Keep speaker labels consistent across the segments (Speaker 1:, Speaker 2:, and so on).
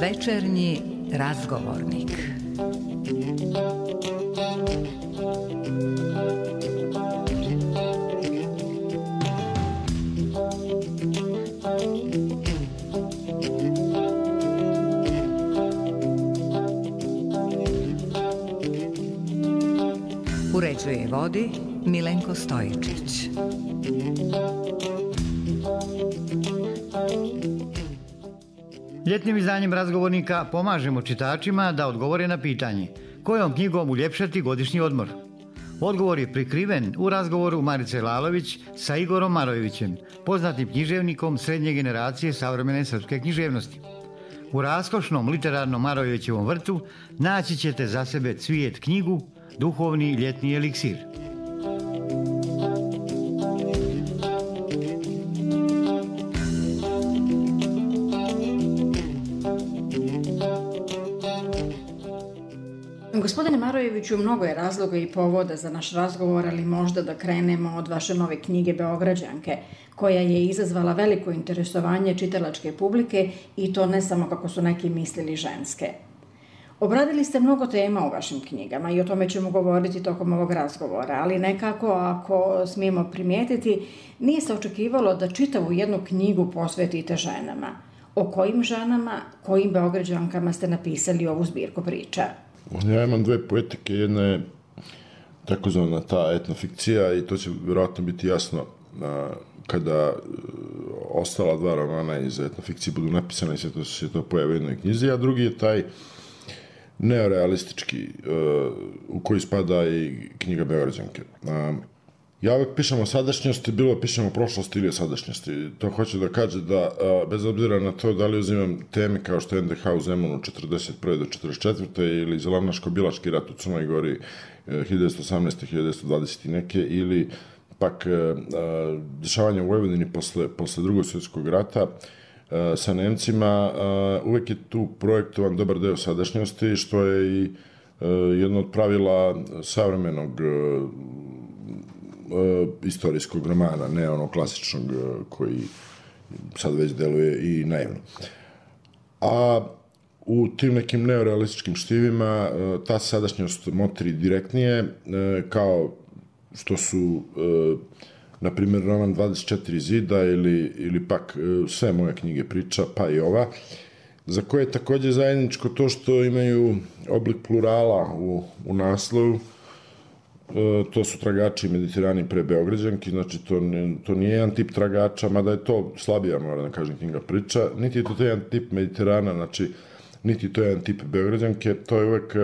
Speaker 1: Večernji razgovornik. Uređuje i vodi Milenko Stojičić.
Speaker 2: Ljetnim izdanjem razgovornika pomažemo čitačima da odgovore na pitanje kojom knjigom uljepšati godišnji odmor. Odgovor je prikriven u razgovoru Marice Lalović sa Igorom Marojevićem, poznatim književnikom srednje generacije savremene srpske književnosti. U raskošnom literarnom Marojevićevom vrtu naći ćete za sebe Cvijet knjigu, duhovni ljetni eliksir.
Speaker 3: Gospodine Marojeviću, mnogo je razloga i povoda za naš razgovor, ali možda da krenemo od vaše nove knjige Beograđanke, koja je izazvala veliko interesovanje čitalačke publike i to ne samo kako su neki mislili ženske. Obradili ste mnogo tema u vašim knjigama i o tome ćemo govoriti tokom ovog razgovora, ali nekako, ako smijemo primijetiti, nije se očekivalo da čitavu jednu knjigu posvetite ženama. O kojim ženama, kojim Beograđankama ste napisali ovu zbirku priča?
Speaker 4: Ja imam dve poetike, jedna je takozvana ta etnofikcija i to će vjerojatno biti jasno kada ostala dva romana iz etnofikcije budu napisane i sve to se to pojavi u jednoj knjizi, a drugi je taj neorealistički u koji spada i knjiga Beograđanke. Ja uvek pišem o sadašnjosti, bilo pišem o prošlosti ili o sadašnjosti. To hoće da kaže da, bez obzira na to da li uzimam teme kao što je NDH u Zemunu 41. do 44. ili Zelavnaško-Bilaški rat u Crnoj Gori 1918. 1920. i neke, ili pak dešavanje u Vojvodini posle drugog svjetskog rata sa Nemcima, uvek je tu projektovan dobar deo sadašnjosti, što je i jedno od pravila savremenog istorijskog romana, ne ono klasičnog koji sad već deluje i naivno. A u tim nekim neorealističkim štivima ta sadašnjost motri direktnije, kao što su na primjer roman 24 zida ili pak sve moje knjige priča, pa i ova, za koje je takođe zajedničko to što imaju oblik plurala u naslovu. To su tragači Mediterani pre Beograđanki, znači to nije jedan tip tragača, mada je to slabija, moram da kažem, knjiga priča, niti je to jedan tip Mediterana, znači niti je to jedan tip Beograđanke, to je uvek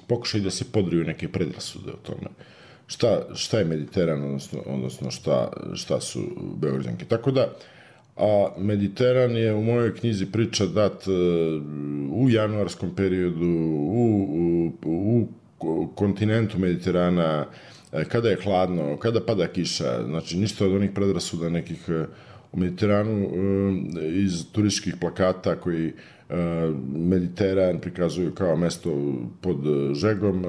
Speaker 4: pokušaj da se podriju neke predrasude o tome. Šta je Mediteran, odnosno šta su Beograđanke. Tako da, a Mediteran je u mojoj knjizi priča dat u januarskom periodu, u kontinentu Mediterana, kada je hladno, kada pada kiša, znači ništa od onih predrasuda nekih u Mediteranu iz turističkih plakata koji Mediteran prikazuju kao mesto pod žegom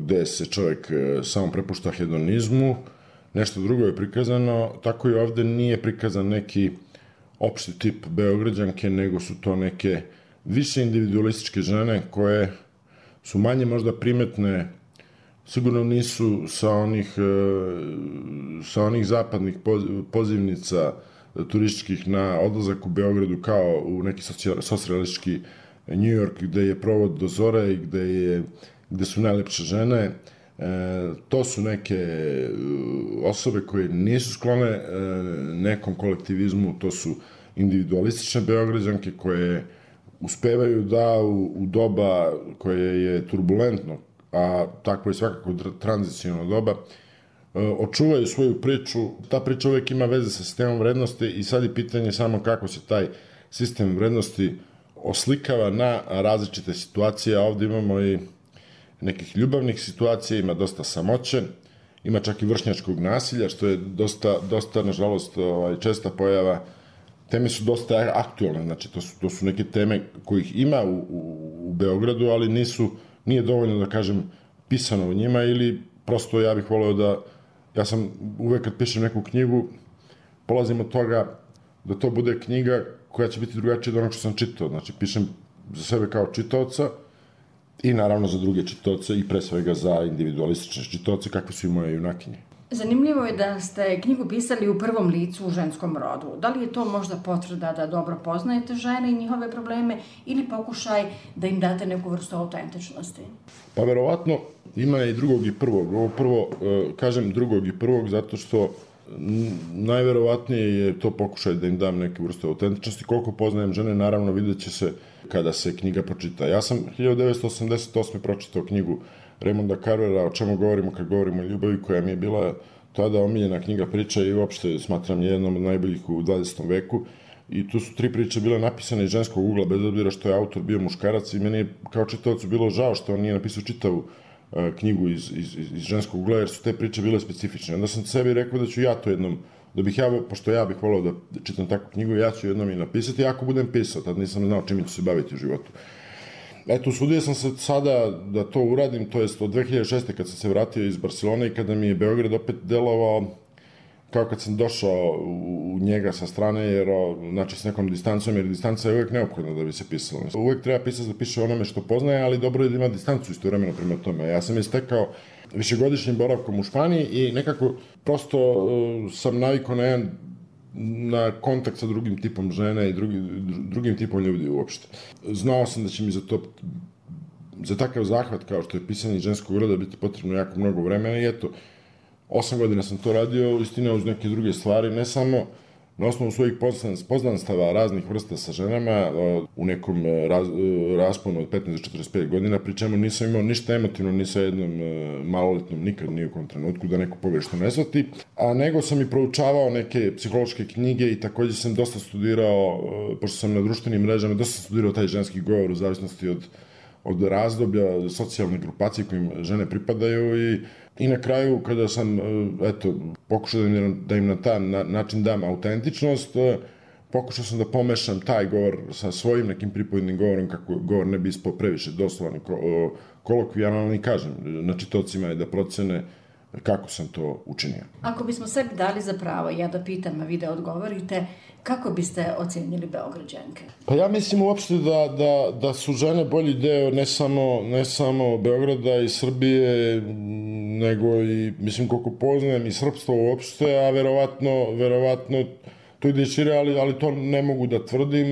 Speaker 4: gde se čovjek samo prepušta hedonizmu, nešto drugo je prikazano, tako i ovde nije prikazan neki opšti tip Beograđanke, nego su to neke više individualističke žene koje su manje možda primetne, sigurno nisu sa onih zapadnih pozivnica turističkih na odlazak u Beogradu kao u neki socijalistički New York gde je provod do zore i gde su najlepše žene. To su neke osobe koje nisu sklone nekom kolektivizmu, to su individualistične Beograđanke koje uspevaju da u doba koje je turbulentno, a tako je svakako tranziciono doba, očuvaju svoju priču. Ta priča uvek ima veze sa sistemom vrednosti i sad je pitanje samo kako se taj sistem vrednosti oslikava na različite situacije, a ovde imamo i nekih ljubavnih situacija, ima dosta samoće, ima čak i vršnjačkog nasilja, što je dosta nažalost, česta pojava. Teme su dosta aktualne, znači to su neke teme kojih ima u Beogradu, ali nisu nije dovoljno da kažem pisano u njima ili prosto ja bih voleo da, ja sam uvek kad pišem neku knjigu, polazim od toga da to bude knjiga koja će biti drugačija od onog što sam čitao. Znači, pišem za sebe kao čitaoca i naravno za druge čitaoce i pre svega za individualistične čitaoce kakve su i moje junakinje.
Speaker 3: Zanimljivo je da ste knjigu pisali u prvom licu u ženskom rodu. Da li je to možda potvrda da dobro poznajete žene i njihove probleme ili pokušaj da im date neku vrstu autentičnosti?
Speaker 4: Pa verovatno ima i drugog i prvog. Ovo prvo, kažem drugog i prvog zato što najverovatnije je to pokušaj da im dam neke vrste autentičnosti. Koliko poznajem žene, naravno vidjet će se kada se knjiga pročita. Ja sam 1988. pročitao knjigu Raymonda Carvera, O čemu govorimo kad govorimo o ljubavi, koja mi je bila tada omiljena knjiga priča i uopšte smatram jednom od najboljih u 20. veku. I tu su 3 priče bile napisane iz ženskog ugla, bez obzira što je autor bio muškarac i meni je kao čitaocu bilo žao što on nije napisao čitavu knjigu iz ženskog ugla, jer su te priče bile specifične. Onda sam sebi rekao da ću ja to jednom, pošto ja bih volao da čitam takvu knjigu, ja ću jednom i napisati, ako budem pisao, tad nisam znao čime ću se baviti u životu. Eto, usudio sam se sada da to uradim, to jest od 2006. kad sam se vratio iz Barcelone i kada mi je Beograd opet delovao kao kad sam došao u njega sa strane, jer, znači s nekom distancom, jer distanca je uvek neophodna da bi se pisalo. Uvek treba pisati da piše onome što poznaje, ali dobro je da ima distancu istovremeno prema tome. Ja sam je stekao višegodišnjim boravkom u Španiji i nekako prosto sam navikao na kontakt sa drugim tipom žene i drugim tipom ljudi uopšte. Znao sam da će mi za takav zahvat kao što je pisanje ženskog roda biti potrebno jako mnogo vremena i eto, 8 godina sam to radio, istina uz neke druge stvari, ne samo na osnovu svojih poznanstava raznih vrsta sa ženama u nekom rasponu od 15 do 45 godina, pri čemu nisam imao ništa emotivno ni sa jednom maloletnom, nikad ni u kom trenutku, da neko pogrešno ne shvati, a nego sam i proučavao neke psihološke knjige i takođe sam dosta studirao, pošto sam na društvenim mrežama, dosta sam studirao taj ženski govor u zavisnosti od razdoblja socijalne grupacije kojim žene pripadaju i na kraju kada sam pokušao da im na taj način dam autentičnost, pokušao sam da pomešam taj govor sa svojim nekim pripovednim govorom kako govor ne bi ispao previše doslovan i kolokvijalan i kažem na čitocima je da procene kako sam to učinio.
Speaker 3: Ako bismo sebi dali za pravo, ja da pitam, a vi da odgovorite, kako biste ocenili Beograđanke?
Speaker 4: Pa ja mislim uopšte da su žene bolji deo ne samo Beograda i Srbije, nego i, mislim, koliko poznajem i srpstvo uopšte, a verovatno to ide šire, ali to ne mogu da tvrdim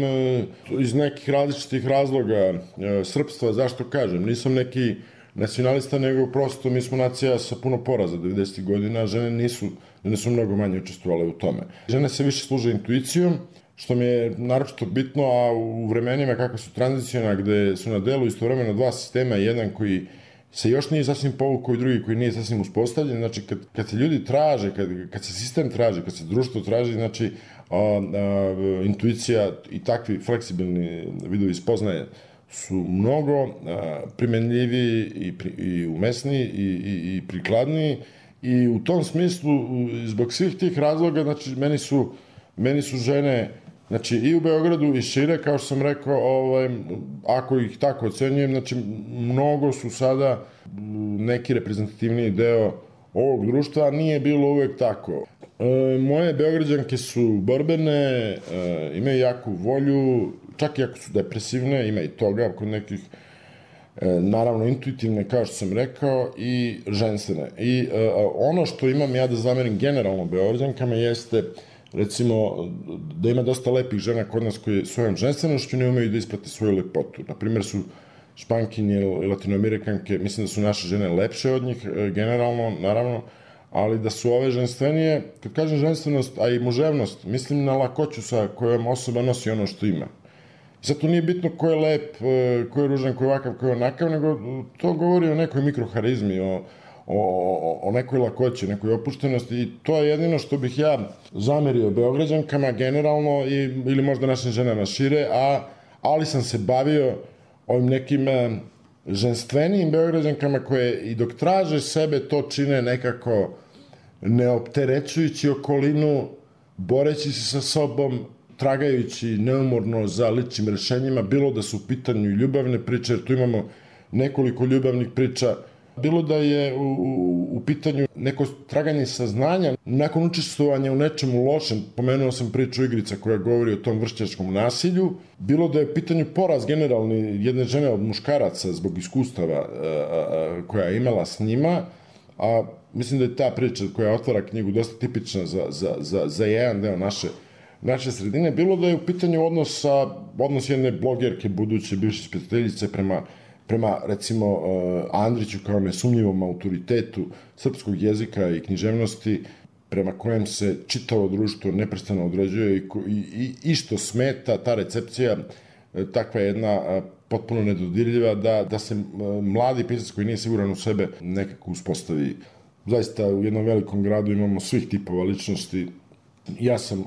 Speaker 4: iz nekih različitih razloga srpstva, zašto kažem, nisam neki nacionalista, nego prosto mi smo nacija sa puno poraza 90. godina, a žene su mnogo manje učestvovale u tome. Žene se više služe intuicijom, što mi je naročito bitno, a u vremenima kakva su tranzicijona, gde su na delu istovremeno 2 sistema, jedan koji se još nije sasvim povukao i drugi koji nije sasvim uspostavljen, znači kad se ljudi traže, kad se sistem traži, kad se društvo traži, znači intuicija i takvi fleksibilni vidovi spoznaje su mnogo primenljiviji i umesniji i prikladniji i u tom smislu, zbog svih tih razloga, znači meni su žene, znači i u Beogradu i šire, kao što sam rekao, ako ih tako ocenjujem, znači mnogo su sada neki reprezentativniji deo ovog društva, a nije bilo uvek tako. Moje Beograđanke su borbene, imaju jaku volju, čak i ako su depresivne, ima i toga kod nekih, naravno intuitivne, kao što sam rekao, i ženstvene. I ono što imam ja da zamerim generalno Beograđankama jeste, recimo, da ima dosta lepih žena kod nas koje svojom ženstvenošću ne umeju da isprate svoju lepotu. Naprimjer su Špankinje i Latinoamerikanke, mislim da su naše žene lepše od njih, generalno, naravno, ali da su ove ženstvenije, kad kažem ženstvenost, a i muževnost, mislim na lakoću sa kojom osoba nosi ono što ima. Sad to nije bitno ko je lep, ko je ružan, ko je ovakav, ko je onakav, nego to govori o nekoj mikroharizmi, o nekoj lakoći, nekoj opuštenosti i to je jedino što bih ja zamerio Beograđankama generalno ili možda našim ženama šire, ali sam se bavio ovim nekim ženstvenijim Beograđankama koje i dok traže sebe to čine nekako neopterećujući okolinu, boreći se sa sobom, tragajući neumorno za ličnim rešenjima, bilo da su u pitanju ljubavne priče, jer tu imamo nekoliko ljubavnih priča, bilo da je u pitanju neko traganje saznanja nakon učestvovanja u nečemu lošem, pomenuo sam priču Igrica koja govori o tom vršnjačkom nasilju, bilo da je u pitanju poraz generalni jedne žene od muškaraca zbog iskustava koja je imala s njima, a mislim da je ta priča koja otvara knjigu dosta tipična za jedan deo naše sredine, bilo da je u pitanju odnos jedne blogerke, buduće bivše ispitateljice prema recimo Andriću kao nesumnjivom autoritetu srpskog jezika i književnosti, prema kojem se čitavo društvo neprestano određuje i što smeta, ta recepcija, takva jedna potpuno nedodirljiva, da se mladi pisac koji nije siguran u sebe nekako uspostavi. Zaista u jednom velikom gradu imamo svih tipova ličnosti. Ja sam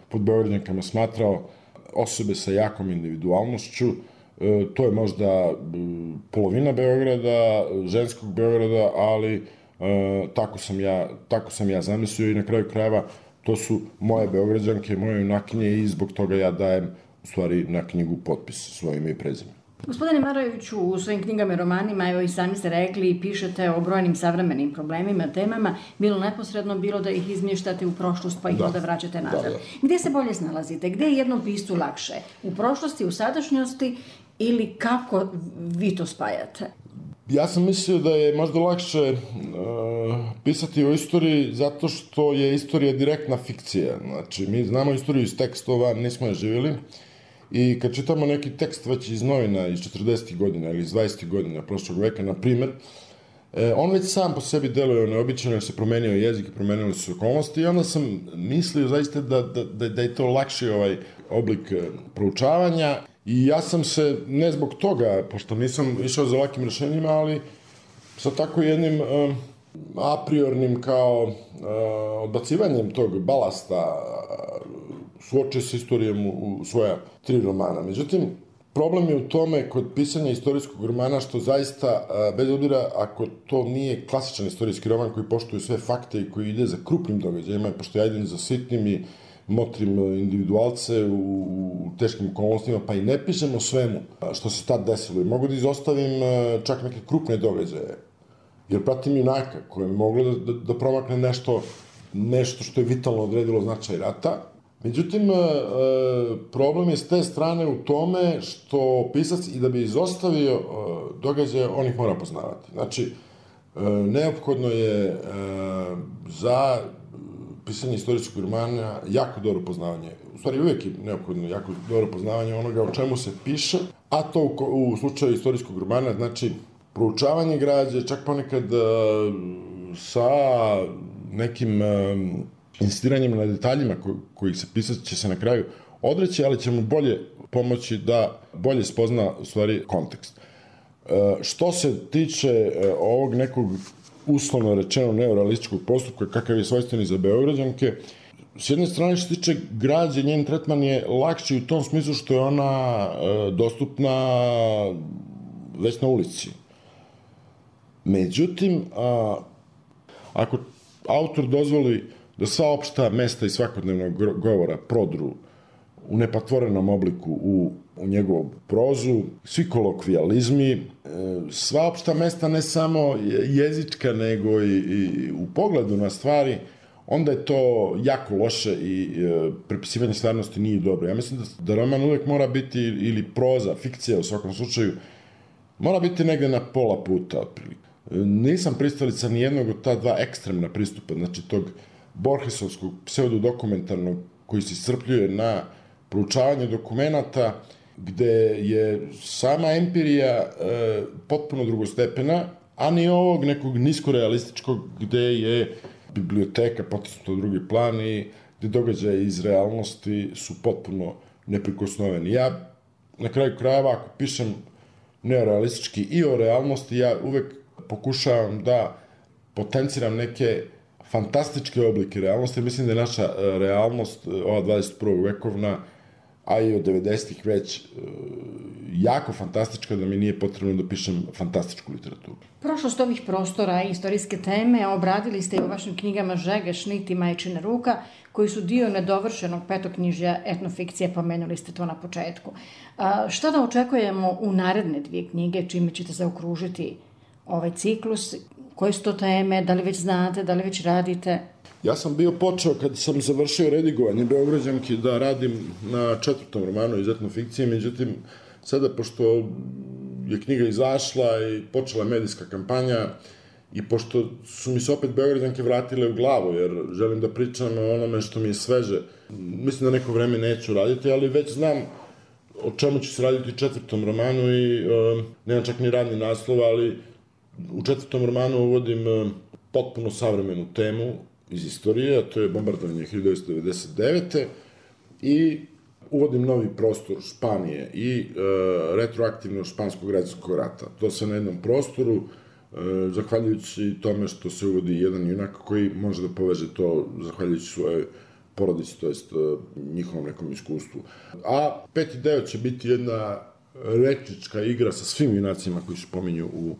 Speaker 4: pod Beograđankama smatrao osobe sa jakom individualnošću. To je možda polovina Beograda, ženskog Beograda, ali tako sam ja zamislio i na kraju krajeva to su moje Beograđanke, moje junakinje i zbog toga ja dajem u stvari na knjigu potpis svoje ime i prezime.
Speaker 3: Gospodine Marojeviću, u svojim knjigama i romanima, evo i sami ste rekli i pišete o brojnim savremenim problemima, temama, bilo neposredno, bilo da ih izmještate u prošlost pa ih onda vraćate nazad. Gdje se bolje snalazite? Gdje je jednom piscu lakše? U prošlosti, u sadašnjosti ili kako vi to spajate?
Speaker 4: Ja sam mislio da je možda lakše pisati o istoriji zato što je istorija direktna fikcija. Znači, mi znamo istoriju iz tekstova, nismo je živjeli. I kad čitamo neki tekst već iz novina iz 40. godina ili iz 20. godina prošlog veka, na primjer, on već sam po sebi deluje neobično jer se promenio jezik i promenili su okolnosti i onda sam mislio zaista da je to lakši oblik proučavanja i ja sam se, ne zbog toga, pošto nisam išao za ovakvim rešenjima, ali sa tako jednim a priornim kao odbacivanjem tog balasta suočio se istorijom u svoja 3 romana. Međutim, problem je u tome kod pisanja istorijskog romana što zaista, bez obzira ako to nije klasičan istorijski roman koji poštuje sve fakte i koji ide za krupnim događajima, pošto ja idem za sitnim i motrim individualce u teškim okolnostima, pa i ne pišem o svemu što se tad desilo. I mogu da izostavim čak neke krupne događaje, jer pratim junaka koje je moglo da promakne nešto što je vitalno odredilo značaj rata. Međutim, problem je s te strane u tome što pisac i da bi izostavio događaje, on ih mora poznavati. Znači, neophodno je za pisanje istorijskog romana jako dobro poznavanje. U stvari, uvijek je neophodno jako dobro poznavanje onoga o čemu se piše, a to u slučaju istorijskog romana znači proučavanje građe, čak ponekad sa nekim insistiranjem na detaljima kojih se pisac će se na kraju odreći, ali će mu bolje pomoći da bolje spozna u stvari kontekst. Što se tiče ovog nekog uslovno rečeno neorealističkog postupka kakav je svojstveni za Beograđanke, s jedne strane što se tiče građe, njen tretman je lakši u tom smislu što je ona dostupna već na ulici. Međutim, ako autor dozvoli da sva opšta mesta i svakodnevnog govora prodru u nepatvorenom obliku u njegovu prozu, svi kolokvijalizmi, sva opšta mesta ne samo jezička nego i u pogledu na stvari, onda je to jako loše i prepisivanje stvarnosti nije dobro. Ja mislim da roman uvek mora biti, ili proza, fikcija u svakom slučaju, mora biti negde na pola puta otprilike. Nisam pristalica ni jednog od ta dva ekstremna pristupa, znači tog Borgesovskog pseudodokumentarnog koji se iscrpljuje na proučavanje dokumenata gde je sama empirija potpuno drugostepena, a ni ovog nekog niskorealističkog gde je biblioteka potisnuta u drugi plan i gde događaje iz realnosti su potpuno neprikosnoveni. Ja na kraju krajeva ako pišem neorealistički i o realnosti, ja uvek pokušavam da potenciram neke fantastičke oblike realnosti. Mislim da je naša realnost, ova 21. vekovna, a i od 90-ih već jako fantastička da mi nije potrebno da pišem fantastičku literaturu.
Speaker 3: Prošlost ovih prostora i istorijske teme obradili ste i u vašim knjigama Žege, Šnit i Majčina ruka, koji su dio nedovršenog petoknjižja etnofikcije, pomenuli ste to na početku. Šta da očekujemo u naredne 2 knjige, čime ćete zaokružiti ovaj ciklus? Koje su to teme? Da li već znate, da li već radite?
Speaker 4: Ja sam bio počeo, kad sam završio redigovanje Beograđanki, da radim na 4. romanu iz etnofikcije, međutim, sada, pošto je knjiga izašla i počela medijska kampanja i pošto su mi se opet Beograđanke vratile u glavu, jer želim da pričam o onome što mi je sveže, mislim da neko vreme neću raditi, ali već znam o čemu ću se raditi u 4. romanu i nemam čak ni radni naslov, ali u 4. romanu uvodim potpuno savremenu temu iz istorije, a to je bombardovanje 1999. i uvodim novi prostor Španije i retroaktivno španskog građanskog rata. To se na jednom prostoru, zahvaljujući tome što se uvodi jedan junak koji može da poveže to zahvaljujući svojoj porodici, to jest njihovom nekom iskustvu. A 5. deo će biti jedna rečička igra sa svim junacima koji se pominju u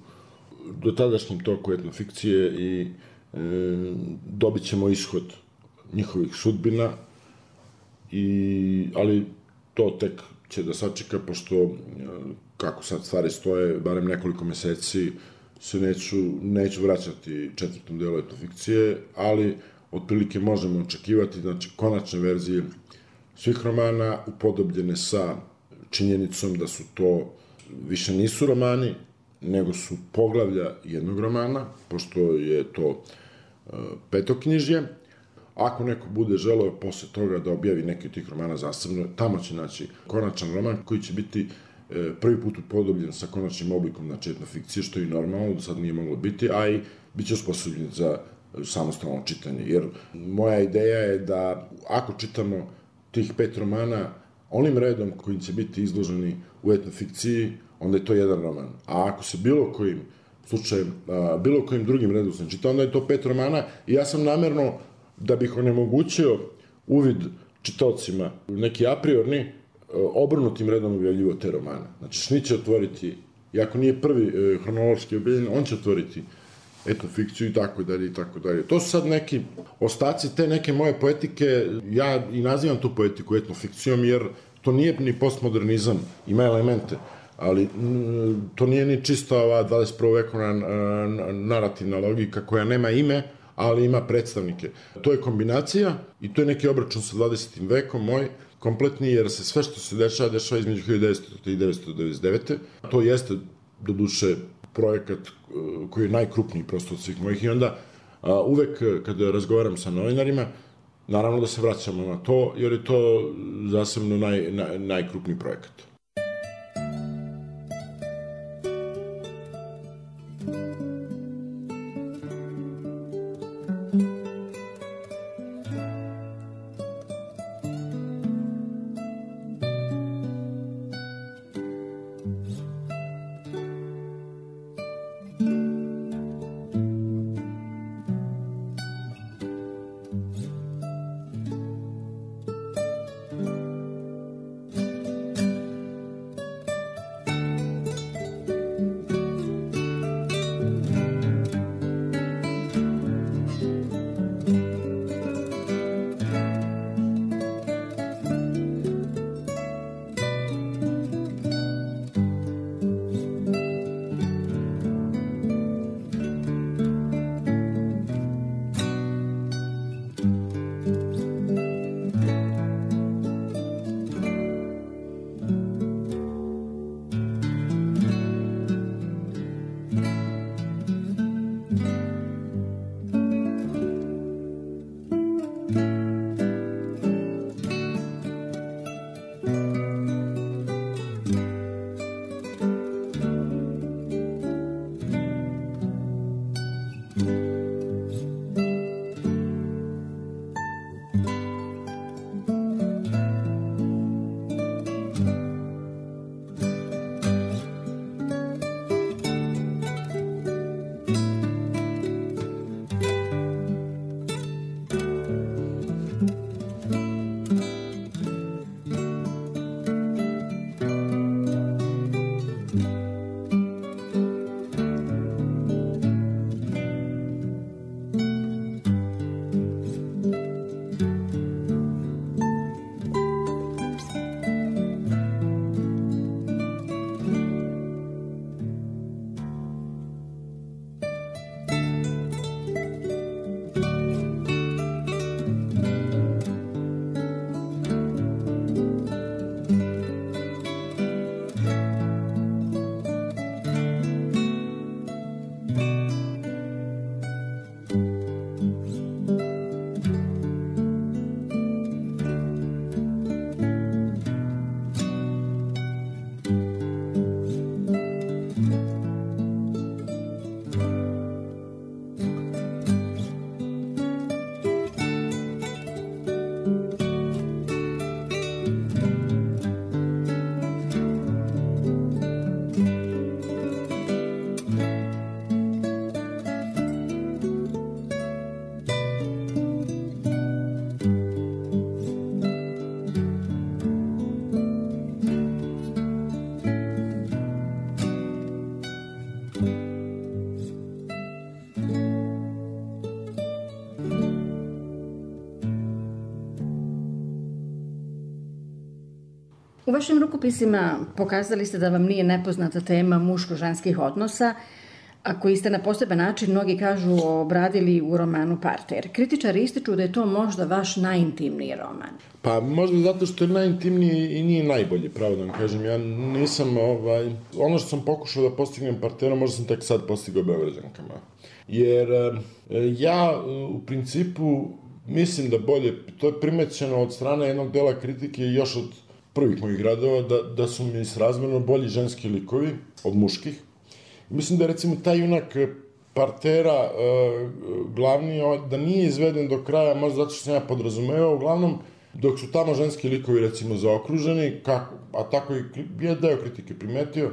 Speaker 4: dotadašnjem toku etnofikcije i dobit ćemo ishod njihovih sudbina, ali to tek će da sačeka, pošto kako sad stvari stoje, barem nekoliko meseci se neću vraćati 4. delu etnofikcije, ali otprilike možemo očekivati, znači, konačne verzije svih romana upodobljene sa činjenicom da su to više nisu romani, nego su poglavlja jednog romana, pošto je to petoknjižje. Ako neko bude želeo posle toga da objavi neki od tih romana zasebno, tamo će naći konačan roman koji će biti prvi put upodobljen sa konačnim oblikom, znači etnofikcije, što je i normalno, do sad nije moglo biti, a i bit će osposobljen za samostalno čitanje. Jer moja ideja je da ako čitamo tih 5 romana onim redom kojim će biti izloženi u etnofikciji, onda je to jedan roman. A ako se bilo kojim slučajem, bilo kojim drugim redom sam čitao, onda je to 5 romana i ja sam namerno, da bih onemogućio uvid čitaocima neki apriorni, obrnutim redom objavljivo te romane. Znači, Šnit će otvoriti, iako nije prvi hronološki objavljen, on će otvoriti etnofikciju i tako dalje i tako dalje. To su sad neki ostaci te neke moje poetike, ja i nazivam tu poetiku etnofikcijom, jer to nije ni postmodernizam, ima elemente, ali to nije ni čisto ova 21. vekovna narativna logika koja nema ime, ali ima predstavnike. To je kombinacija i to je neki obračun sa 20. vekom moj, kompletni, jer se sve što se dešava između 1900. i 1999. To jeste, do duše, projekat koji je najkrupniji prosto od svih mojih i onda uvek kada razgovaram sa novinarima, naravno da se vraćamo na to, jer je to zasebno najkrupniji projekat.
Speaker 3: U vašim rukopisima pokazali ste da vam nije nepoznata tema muško-ženskih odnosa, a koji ste na poseban način, mnogi kažu, obradili u romanu Parter. Kritičari ističu da je to možda vaš najintimniji roman.
Speaker 4: Pa možda zato što je najintimniji i nije najbolji, pravo da vam kažem. Ja nisam, ono što sam pokušao da postignem Parterom, možda sam tek sad postigao Beograđankama. Jer ja u principu mislim da bolje, to je primećeno od strane jednog dela kritike još od prvih mojih radova, da su mi srazmerno bolji ženski likovi od muških. Mislim da je recimo taj junak Partera glavni, da nije izveden do kraja, možda zato što sam ja podrazumevao, uglavnom dok su tamo ženski likovi recimo zaokruženi, a tako i je deo kritike primetio,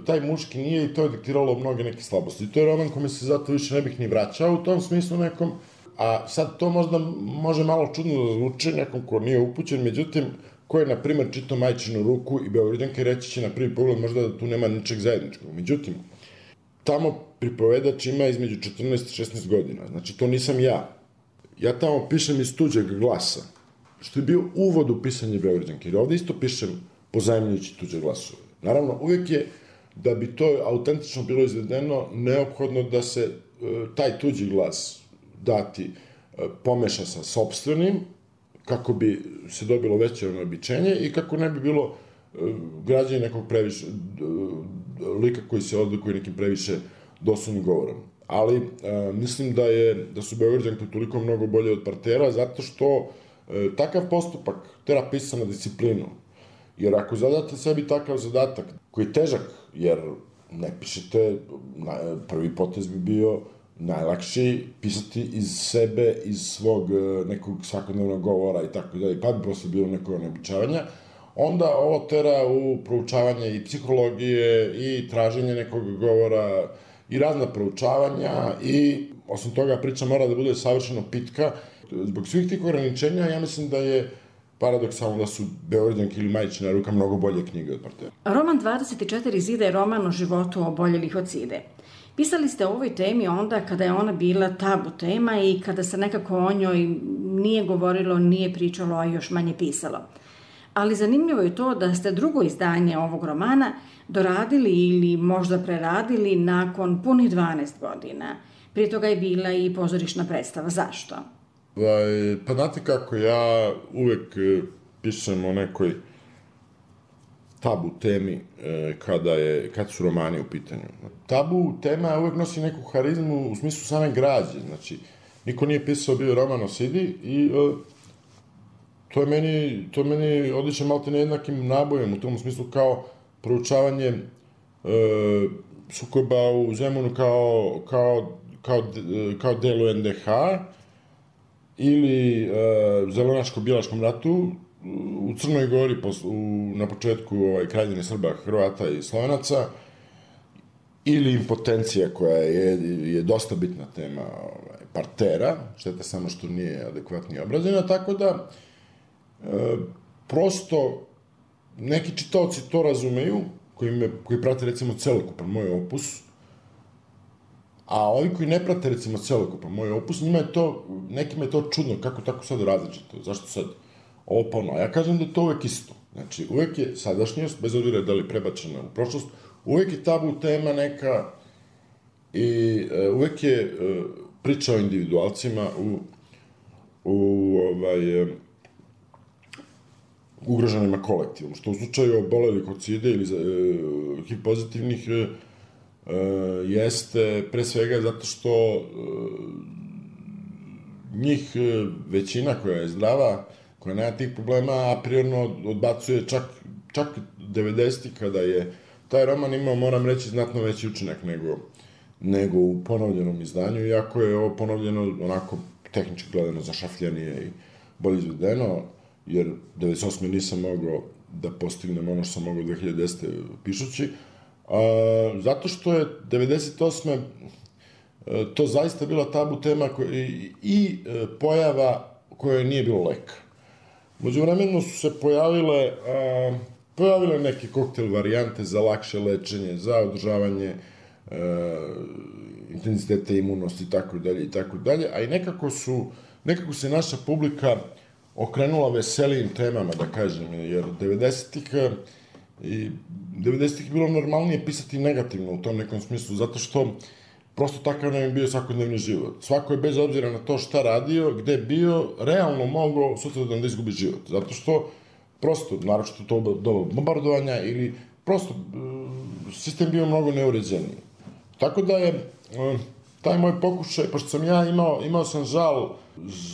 Speaker 4: taj muški nije i to je diktiralo mnoge neke slabosti. I to je roman kome se zato više ne bih ni vraćao u tom smislu nekom, a sad to možda može malo čudno da zvuči nekom ko nije upućen, međutim, ko je, na primer, čitao Majčinu ruku i Beograđanke, reći će na prvi pogled možda da tu nema ničeg zajedničkog. Međutim, tamo pripovedač ima između 14 i 16 godina. Znači, to nisam ja. Ja tamo pišem iz tuđeg glasa, što je bio uvod u pisanje Beograđanke. Jer ovde isto pišem pozajemljujući tuđe glasove. Naravno, uvek je, da bi to autentično bilo izvedeno, neophodno da se taj tuđi glas dati pomeša sa sopstvenim, kako bi se dobilo veće običenje i kako ne bi bilo građanje nekog previše, lika koji se odlikuje nekim previše doslovnim govorom. Ali mislim da su Beograđanke toliko mnogo bolje od Partera, zato što takav postupak tera pisana disciplinu. Jer ako zadate sebi takav zadatak, koji je težak, jer ne pišete, prvi potez bi bio najlakši pisati iz sebe, iz svog nekog svakodnevnog govora i tako dalje, pa bi prosto bilo neko onebičavanja, onda ovo tera u proučavanje i psihologije i traženje nekog govora i razna proučavanja i osim toga priča mora da bude savršeno pitka. Zbog svih tih ograničenja ja mislim da je paradoksalno da su Beograđanke ili Majčina ruka mnogo bolje knjige od Partera.
Speaker 3: Roman 24 zida je roman o životu oboljelih od side. Pisali ste o ovoj temi onda kada je ona bila tabu tema i kada se nekako o njoj nije govorilo, nije pričalo, a još manje pisalo. Ali zanimljivo je to da ste drugo izdanje ovog romana doradili ili možda preradili nakon punih 12 godina. Prije toga je bila i pozorišna predstava. Zašto?
Speaker 4: Pa znate kako, ja uvek pišem o nekoj tabu temi kad su romani u pitanju. Tabu tema uvek nosi neku harizmu u smislu same građe. Znači, niko nije pisao bio roman o Sidi i to je meni odličan malte nejednakim nabojem u tom smislu kao proučavanje sukoba u Zemunu kao delu NDH ili Zelenaško-Bilaškom ratu u Crnoj Gori na početku kraljevine Srba, Hrvata i Slovenaca ili impotencija koja je dosta bitna tema Partera, šteta samo što nije adekvatnije obrađena, tako da prosto neki čitaoci to razumeju, koji prate recimo celokupan moj opus, a ovi koji ne prate recimo celokupan moj opus, nekima je to čudno, kako tako sad različito, zašto sad ovo pa ono. Ja kažem da je to uvek isto. Znači, uvek je sadašnjost, bez obzira da li prebačena u prošlost, uvek je tabu tema neka i uvek je priča o individualcima ugroženima kolektivom, što u slučaju obolelih od side ili HIV pozitivnih jeste pre svega zato što njih većina koja je zdrava, koja nema tih problema, a prirodno odbacuje čak 90. kada je taj roman imao, moram reći, znatno veći učinak nego u ponovljenom izdanju, iako je ovo ponovljeno onako tehnički gledano zašafljanije i bolje izvedeno, jer 98. nisam mogao da postignem ono što sam mogao 2010. pišući, zato što je 98. to zaista bila tabu tema i pojava koje nije bilo leka. Međuvremeno su se pojavile neke koktel varijante za lakše lečenje, za održavanje intenziteta imunosti i tako dalje, a i nekako se naša publika okrenula veselijim temama, da kažem, jer 90-ih je bilo normalnije pisati negativno u tom nekom smislu, zato što prosto takav nam je bio svakodnevni život. Svako je bez obzira na to šta radio, gde bio, realno mogao sutradan da izgubi život. Zato što, prosto, naročito to doba bombardovanja ili prosto sistem bio mnogo neuređeniji. Tako da je taj moj pokušaj, pošto sam ja imao sam žal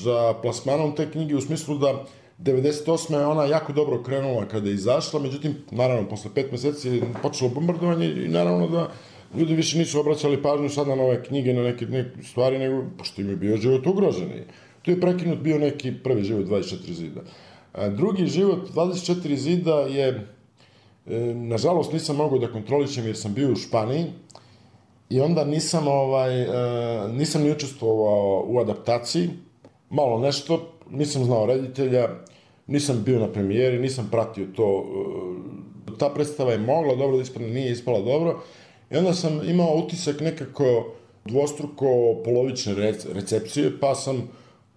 Speaker 4: za plasmanom te knjige u smislu da 98. je ona jako dobro krenula kada je izašla, međutim, naravno, posle 5 meseci je počelo bombardovanje i naravno da ljudi više nisu obraćali pažnju sad na nove knjige, na neke stvari, nego pošto im je bio život ugrožen. Tu je prekinut bio neki prvi život 24 zida. Drugi život 24 zida je, nažalost, nisam mogao da kontrolišem jer sam bio u Španiji i onda nisam ni učestvovao u adaptaciji, malo nešto, nisam znao reditelja, nisam bio na premijeri, nisam pratio to. Ta predstava je mogla dobro da ispadne, nije ispala dobro. I onda sam imao utisak nekako dvostruko polovične recepcije, pa sam,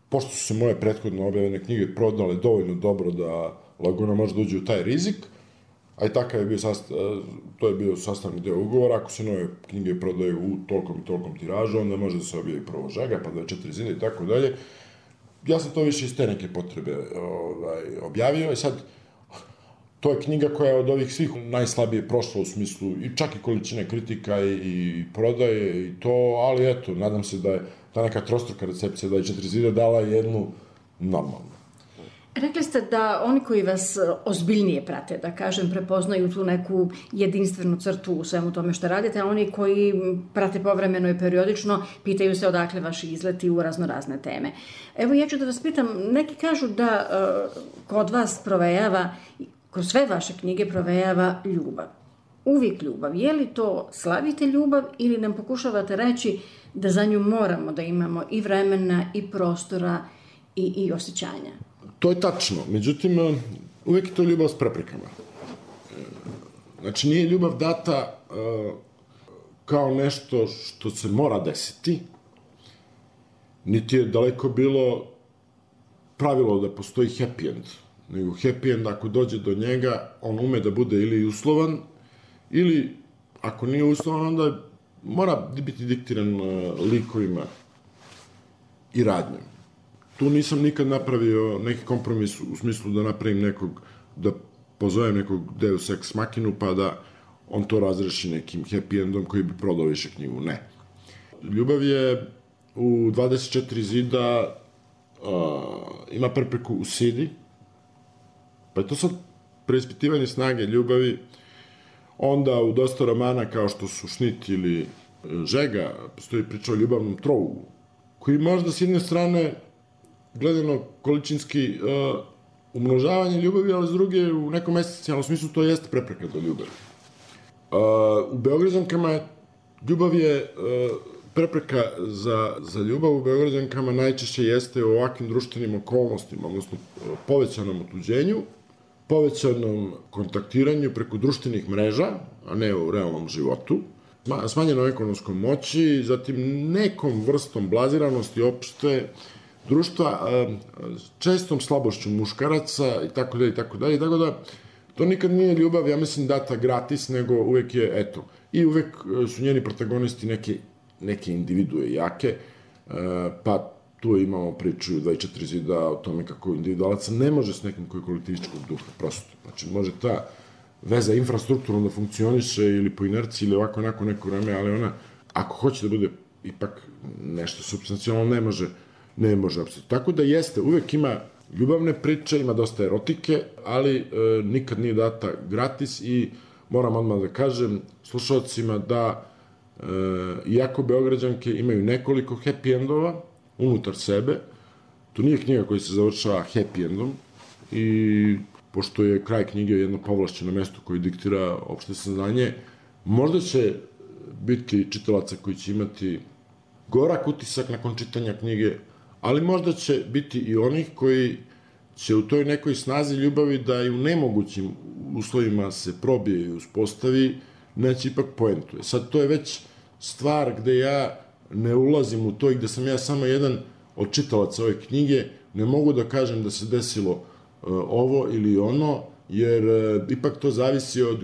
Speaker 4: pošto su se moje prethodno objavljene knjige prodale dovoljno dobro da lagano može da uđe u taj rizik, a i takav je bio to je bio sastavni deo ugovora, ako se nove knjige prodaju u tolkom i tolkom tiražu, onda može da se objavi prvo Žega, pa 24 zida i tako dalje. Ja sam to više iz te neke potrebe objavio i sad to je knjiga koja je od ovih svih najslabije prošla u smislu i čak i količine kritika i prodaje i to, ali eto, nadam se da je ta neka trostruka recepcija 24 zida dala jednu normalnu.
Speaker 3: Rekli ste da oni koji vas ozbiljnije prate, da kažem, prepoznaju tu neku jedinstvenu crtu u svemu tome što radite, a oni koji prate povremeno i periodično pitaju se odakle vaši izleti u raznorazne teme. Evo, ja ću da vas pitam, neki kažu da kod vas provejava, kroz sve vaše knjige provejava ljubav. Uvijek ljubav. Je li to slavite ljubav ili nam pokušavate reći da za nju moramo da imamo i vremena i prostora i osjećanja?
Speaker 4: To je tačno, međutim, uvek je to ljubav s preprekama. Znači, nije ljubav data kao nešto što se mora desiti, niti je daleko bilo pravilo da postoji happy end, nego happy end, ako dođe do njega, on ume da bude ili uslovan, ili, ako nije uslovan, onda mora biti diktiran likovima i radnjom. Tu nisam nikad napravio neki kompromis u smislu da napravim nekog, da pozovem nekog Deus Ex Machinu, pa da on to razreši nekim happy endom koji bi prodao više knjigu. Ne. Ljubav je u 24 zida ima prepreku u sidi, pa je to sad preispitivanje snage ljubavi. Onda u dosta romana kao što su Šnit ili Žega postoji priča o ljubavnom trougu, koji možda s jedne strane gledano količinski umnožavanje ljubavi, ali s druge u nekom esencijalnom smislu to jeste prepreka do ljubavi. U Beograđankama ljubav je prepreka za ljubav u Beograđankama najčešće jeste u ovakvim društvenim okolnostima, odnosno povećanom otuđenju, povećanom kontaktiranju preko društvenih mreža, a ne u realnom životu, smanjenom ekonomskom moći, zatim nekom vrstom blaziranosti opšte društva, čestom slabošću muškaraca i tako dalje, tako da to nikad nije ljubav, ja mislim, data gratis, nego uvek je, eto, i uvek su njeni protagonisti neke individue jake, pa tu imamo priču 24 zida o tome kako individualac ne može s nekim koji je kolektivističkog duha, prosto. Znači, može ta veza infrastrukturno da funkcioniše ili po inerciji ili ovako onako neko vreme, ali ona, ako hoće da bude ipak nešto substancijalno, ne može apsolutno. Tako da jeste, uvek ima ljubavne priče, ima dosta erotike, ali nikad nije data gratis i moram odmah da kažem slušalcima da iako Beograđanke imaju nekoliko happy endova unutar sebe, to nije knjiga koja se završava happy endom i pošto je kraj knjige jedno povlašćeno mesto koje diktira opšte saznanje, možda će biti čitalaca koji će imati gorak utisak nakon čitanja knjige, ali možda će biti i onih koji će u toj nekoj snazi ljubavi da i u nemogućim uslovima se probije i uspostavi, neće ipak poentuje. Sad, to je već stvar gde ja ne ulazim u to i gde sam ja samo jedan od čitalaca ove knjige, ne mogu da kažem da se desilo ovo ili ono, jer ipak to zavisi od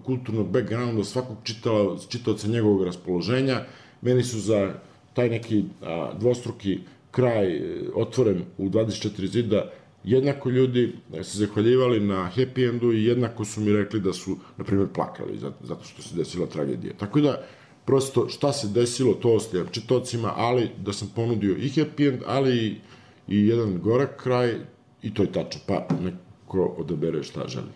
Speaker 4: kulturnog backgrounda svakog čitaoca njegovog raspoloženja. Meni su za taj neki dvostruki kraj otvoren u 24 zida jednako ljudi se zahvaljivali na happy endu i jednako su mi rekli da su, na primjer, plakali zato što se desila tragedija. Tako da, prosto, šta se desilo, to ostaje čitaocima, ali da sam ponudio i happy end, ali i jedan gorak kraj, i to je tačno, pa neko odabere šta želi.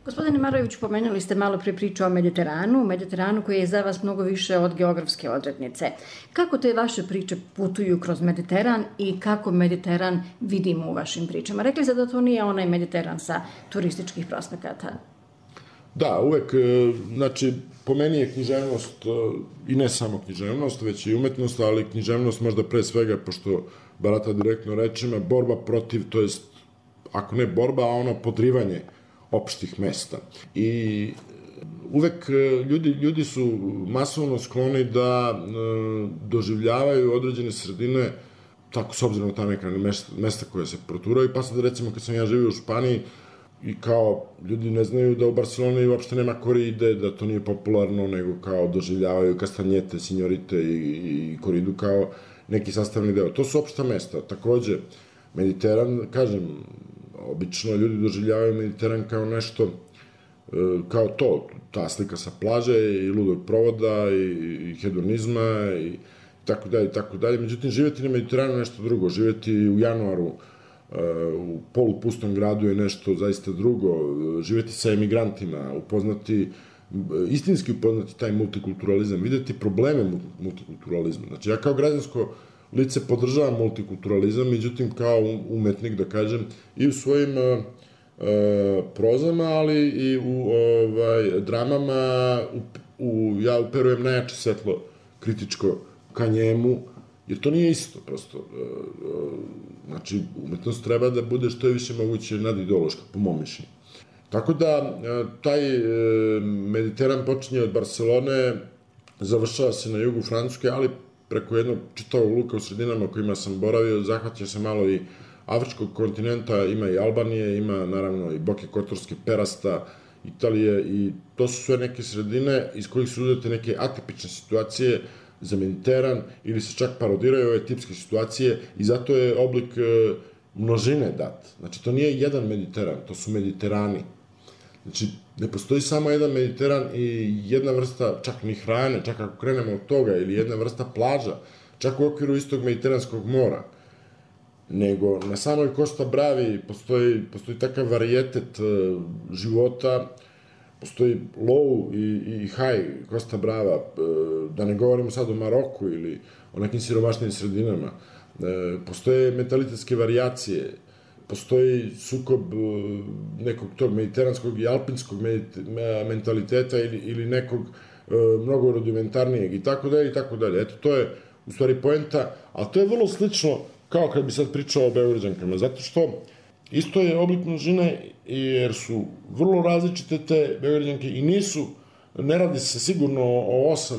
Speaker 3: Gospodine Marojeviću, pomenuli ste malo pre priču o Mediteranu koji je za vas mnogo više od geografske odrednice. Kako te vaše priče putuju kroz Mediteran i kako Mediteran vidimo u vašim pričama? Rekli ste da to nije onaj Mediteran sa turističkih prospekata.
Speaker 4: Da, uvek, znači, po meni je književnost, i ne samo književnost, već i umetnost, ali književnost možda pre svega, pošto barata direktno rečima, borba protiv, to jest, ako ne borba, a ono podrivanje opštih mesta. I uvek ljudi su masovno skloni da doživljavaju određene sredine tako, s obzirom na ta neka mesta koja se proturaju, pa sad, recimo, kad sam ja živio u Španiji, i kao, ljudi ne znaju da u Barceloni uopšte nema koride, da to nije popularno, nego kao doživljavaju kastanjete, sinjorite i koridu kao neki sastavni deo. To su opšta mesta. Takođe, Mediteran, kažem, obično ljudi doživljavaju Mediteran kao nešto, kao to, ta slika sa plaže i ludog provoda i hedonizma i tako dalje, i tako dalje. Međutim, živjeti na Mediteranu je nešto drugo. Živjeti u januaru u polupustom gradu je nešto zaista drugo. Živjeti sa emigrantima, istinski upoznati taj multikulturalizam, videti probleme multikulturalizma. Znači, ja kao građansko lice podržavam multikulturalizam, međutim, kao umetnik, da kažem, i u svojim prozama, ali i u dramama ja uperujem najjače svetlo kritičko ka njemu, jer to nije isto, prosto. Znači, umetnost treba da bude što je više moguće nadideološka, po mom mišljenju. Tako da, taj Mediteran počinje od Barcelone, završava se na jugu Francuske, ali preko jednog čitavog luka u sredinama kojima sam boravio, zahvaća se malo i afričkog kontinenta, ima i Albanije, ima naravno i Boke Kotorske, Perasta, Italije, i to su sve neke sredine iz kojih su uzete neke atipične situacije za Mediteran, ili se čak parodiraju ove tipske situacije, i zato je oblik množine dat. Znači, to nije jedan Mediteran, to su Mediterani. Znači, ne postoji samo jedan Mediteran i jedna vrsta, čak ni hrane, čak ako krenemo od toga, ili jedna vrsta plaža, čak u okviru istog Mediteranskog mora, nego na samoj Costa Bravi postoji takav varijetet života, postoji low i high Costa Brava, da ne govorimo sad o Maroku ili o nekim siromašnim sredinama. Postoje mentalitetske varijacije, postoji sukob nekog tog mediteranskog i alpinskog mentaliteta ili nekog mnogo rudimentarnijeg i tako dalje i tako dalje. Eto, to je u stvari poenta, ali to je vrlo slično kao kad bi sad pričao o Beograđankama, zato što isto je oblik množine, jer su vrlo različite te Beograđanke i ne radi se sigurno o 8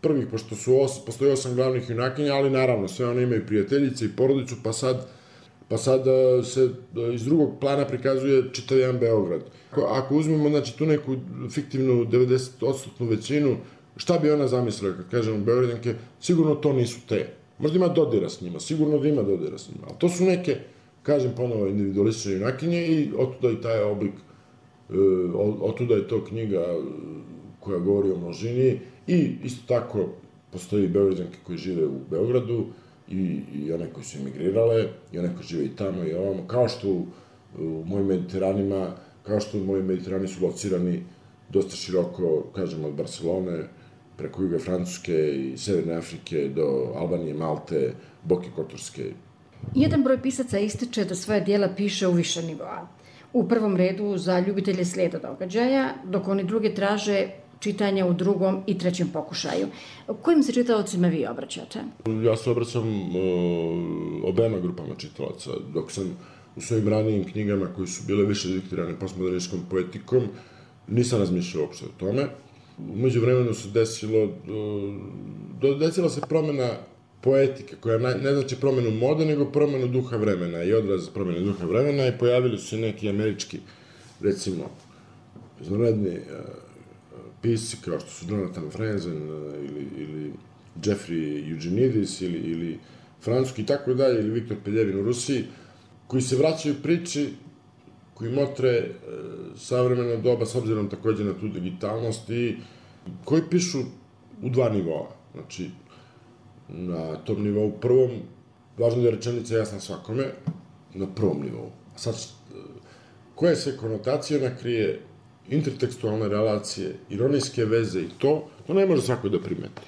Speaker 4: prvih, pošto postoji 8 glavnih junakinja, ali naravno sve one imaju prijateljice i porodicu, pa sad se iz drugog plana prikazuje čitav jedan Beograd. Ako uzmemo, znači, tu neku fiktivnu 90% većinu, šta bi ona zamislila kad kažemo Beograđanke? Sigurno to nisu te. Možda ima dodira s njima, sigurno da ima dodira s njima, ali to su neke, kažem ponovo, individualistične junakinje, i otuda i taj oblik, otuda je to knjiga koja govori o množini, i isto tako postoji Beograđanke koji žive u Beogradu, i one koji su emigrirale, i one koji žive i tamo i ovamo, kao što u mojim Mediteranima, kao što moji Mediterani su locirani dosta široko, kažem, od Barcelone, preko juga Francuske i Severne Afrike do Albanije, Malte, Boke Kotorske.
Speaker 3: Jedan broj pisaca ističe da svoje dijela piše u više nivoa. U prvom redu za ljubitelje slijeda događaja, dok oni druge traže čitanja u drugom i trećem pokušaju. Kojim se čitaocima vi obraćate?
Speaker 4: Ja se obraćam obema grupama čitalaca. Dok sam u svojim ranijim knjigama, koji su bile više diktirane postmodernističkom poetikom, nisam razmišljao uopšte o tome. Umeđu vremenu se desila se promena poetike, koja ne znači promenu mode, nego promenu duha vremena i odraz promene duha vremena, i pojavili su se neki američki, recimo, izvanredni pisci, kao što su Jonathan Franzen ili Jeffrey Eugenides ili francuski i tako dalje, ili Viktor Peljevin u Rusiji, koji se vraćaju priči, koji motre savremeno doba, s obzirom takođe na tu digitalnost, i koji pišu u dva nivoa. Znači, na tom nivou prvom, važno da je rečenica jasna svakome, na prvom nivou. A sad, koje se konotacije ona krije, intertekstualne relacije, ironijske veze i to ne može svako da primeti.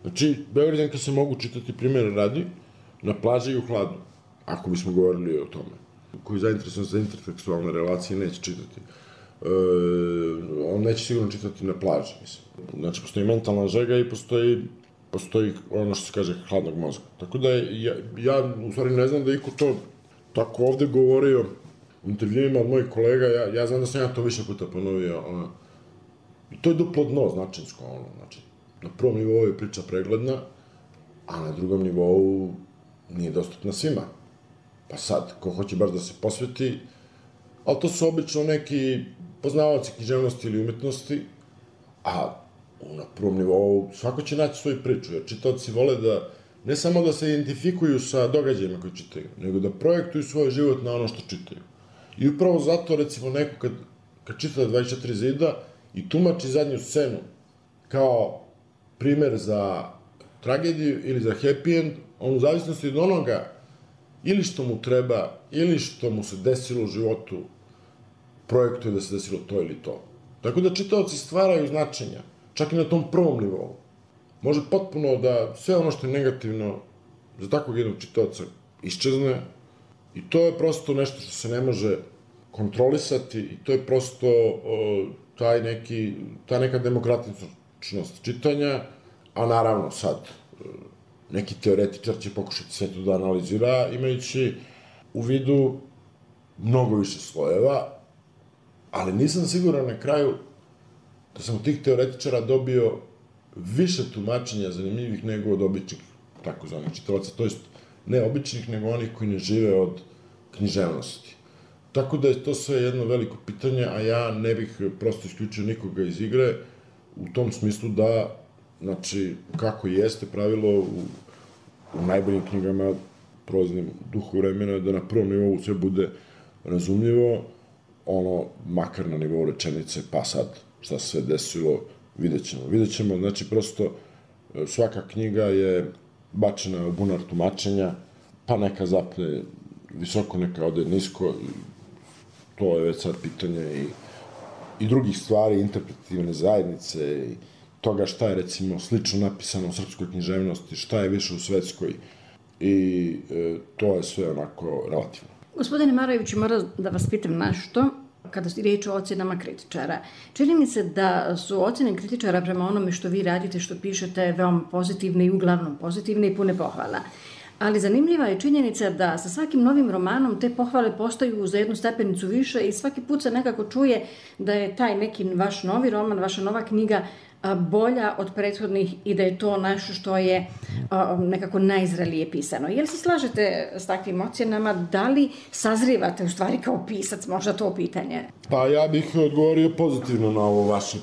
Speaker 4: Znači, Beograđanke se mogu čitati, primjer radi, na plaži i u hladu, ako bismo govorili o tome. Koji je zainteresovan za intertekstualne relacije neće čitati. On neće sigurno čitati na plaži, mislim. Znači, postoji mentalna žega i postoji ono što se kaže hladnog mozga. Tako da ja u stvari ne znam da iko to tako ovde govorio u intervjuima od mojih kolega, ja znam da sam ja to više puta ponovio, i to je duplo dno značinsko, znači, na prvom nivou je priča pregledna, a na drugom nivou nije dostupna svima. Pa sad, ko hoće baš da se posveti, ali to su obično neki poznavaoci književnosti ili umetnosti, a na prvom nivou svako će naći svoju priču, jer čitaoci vole da ne samo da se identifikuju sa događajima koje čitaju, nego da projektuju svoj život na ono što čitaju. I upravo zato, recimo, neko kad čita 24 zida i tumači zadnju scenu kao primer za tragediju ili za happy end, on u zavisnosti od onoga ili što mu treba, ili što mu se desilo u životu, projektuje da se desilo to ili to. Tako da čitaoci stvaraju značenja, čak i na tom prvom nivou. Može potpuno da sve ono što je negativno za takvog jednog čitaoca iščezne i to je prosto nešto što se ne može kontrolisati i to je prosto ta neka demokratičnost čitanja, a naravno sad neki teoretičar će pokušati sve to da analizira, imajući u vidu mnogo više slojeva, ali nisam siguran na kraju da sam od tih teoretičara dobio više tumačenja zanimljivih nego od običnih takozvanih čitalaca, to jest ne običnih, nego onih koji ne žive od književnosti. Tako da je to sve jedno veliko pitanje, a ja ne bih prosto isključio nikoga iz igre u tom smislu da, znači, kako jeste pravilo u najboljim knjigama prolaznim duhu vremena, da na prvom nivou sve bude razumljivo, makar na nivou rečenice, pa sad šta se sve desilo, vidjet ćemo, znači, prosto svaka knjiga je bačena u bunar tumačenja, pa neka zapne visoko, neka ode nisko, to je već sad pitanje i drugih stvari, interpretativne zajednice i toga šta je, recimo, slično napisano u srpskoj književnosti, šta je više u svetskoj i to je sve onako relativno.
Speaker 3: Gospodine Marojeviću, moram da vas pitam nešto kada je riječ o ocenama kritičara. Čini mi se da su ocene kritičara prema onome što vi radite, što pišete, veoma pozitivne i uglavnom pozitivne i pune pohvala. Ali zanimljiva je činjenica da sa svakim novim romanom te pohvale postaju za jednu stepenicu više i svaki put se nekako čuje da je taj neki vaš novi roman, vaša nova knjiga bolja od prethodnih i da je to nešto što je nekako najzrelije pisano. Jel se slažete s takvim ocjenama? Da li sazrivate u stvari kao pisac? Možda to pitanje.
Speaker 4: Pa ja bih odgovorio pozitivno na ovo vaše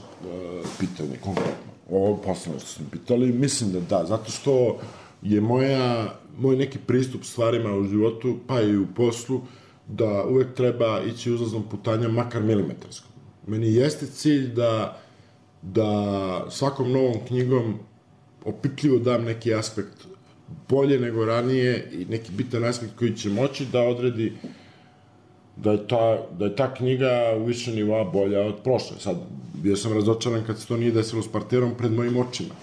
Speaker 4: pitanje, konkretno. Ovo poslednje što ste mi pitali, mislim da da, zato što je moj neki pristup stvarima u životu, pa i u poslu, da uvek treba ići uzlaznom putanjom, makar milimetarskom. Meni jeste cilj da svakom novom knjigom opipljivo dam neki aspekt bolje nego ranije i neki bitan aspekt koji će moći da odredi da je ta knjiga u više nivoa bolja od prošle. Sad, bio sam razočaran kad se to nije desilo s Parterom pred mojim očima.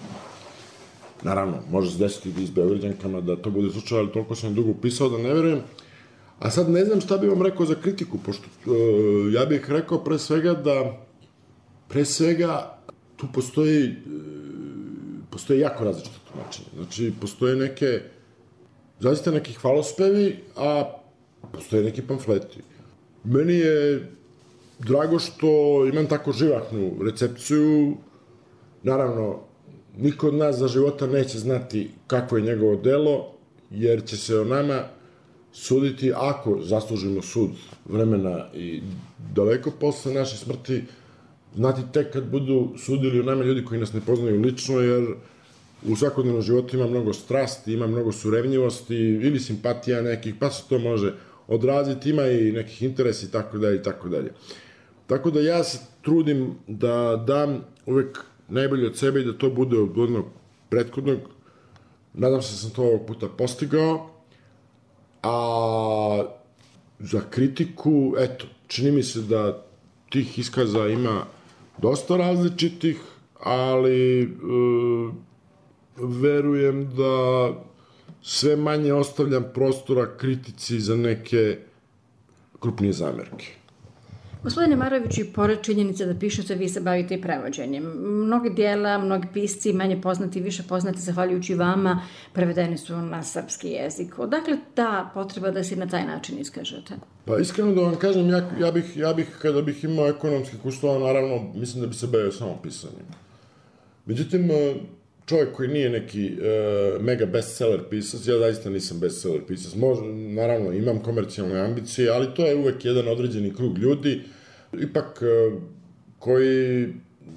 Speaker 4: Naravno, može se desiti i s Beograđankama da to bude slučaj, ali toliko sam dugo upisao da ne verujem. A sad ne znam šta bih vam rekao za kritiku, pošto ja bih rekao pre svega tu postoji jako različite tumačenje. Znači, postoje zaista neki hvalospevi, a postoje neki pamfleti. Meni je drago što imam tako živahnu recepciju. Naravno, niko od nas za života neće znati kakvo je njegovo delo, jer će se o nama suditi, ako zaslužimo sud vremena i daleko posle naše smrti, znati tek kad budu sudili o nama ljudi koji nas ne poznaju lično, jer u svakodnevnom životu ima mnogo strasti, ima mnogo surevnjivosti ili simpatija nekih, pa se to može odraziti, ima i nekih interesa i tako dalje i tako dalje. Tako da ja se trudim da dam uvek najbolje od sebe i da to bude od onog prethodnog. Nadam se da sam to ovog puta postigao. A za kritiku, eto, čini mi se da tih iskaza ima dosta različitih, ali verujem da sve manje ostavljam prostora kritici za neke krupnije zamerke.
Speaker 3: Gospodine Marojeviću, i pored činjenice da pišete, vi se bavite i prevođenjem. Mnogi dijela, mnogi pisci, manje poznati, više poznati, zahvaljujući vama, prevedeni su na srpski jezik. Odakle ta potreba da se na taj način iskažete?
Speaker 4: Pa iskreno da vam kažem, ja bih kada bih imao ekonomskih uslova, naravno, mislim da bi se bavio samo pisanjem. Međutim, čovjek koji nije neki mega bestseller pisac, ja zaista nisam bestseller pisac, naravno imam komercijalne ambicije, ali to je uvek jedan određeni krug ljudi, ipak koji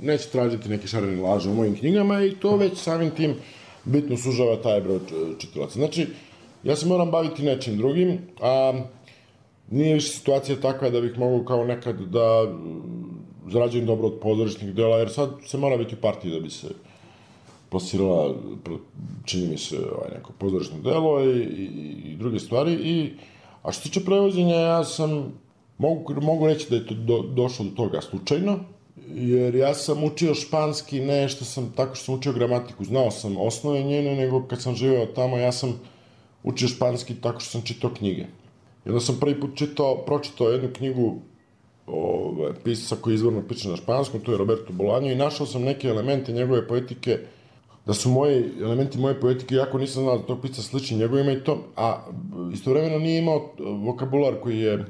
Speaker 4: neće tražiti neke šarene laže u mojim knjigama i to već samim tim bitno sužava taj broj čitalaca. Znači, ja se moram baviti nečim drugim, a nije više situacija takva da bih mogao kao nekad da zarađujem dobro od pozorišnih dela, jer sad se mora biti u partiji da bi se plasirala, čini mi se, neko pozorišno delo i druge stvari. A što se tiče prevođenja, ja sam, mogu reći da je to došlo do toga slučajno, jer ja sam učio španski ne tako što sam učio gramatiku, znao sam osnove njene, nego kad sam živeo tamo, ja sam učio španski tako što sam čitao knjige. I onda sam prvi put pročitao jednu knjigu pisca koji izvorno piše na španskom, to je Roberto Bolaño, i našao sam neke elemente njegove poetike, da su elementi moje poetike, iako nisam znao da tog pisca slični njegovima i to, a istovremeno nije imao vokabular koji je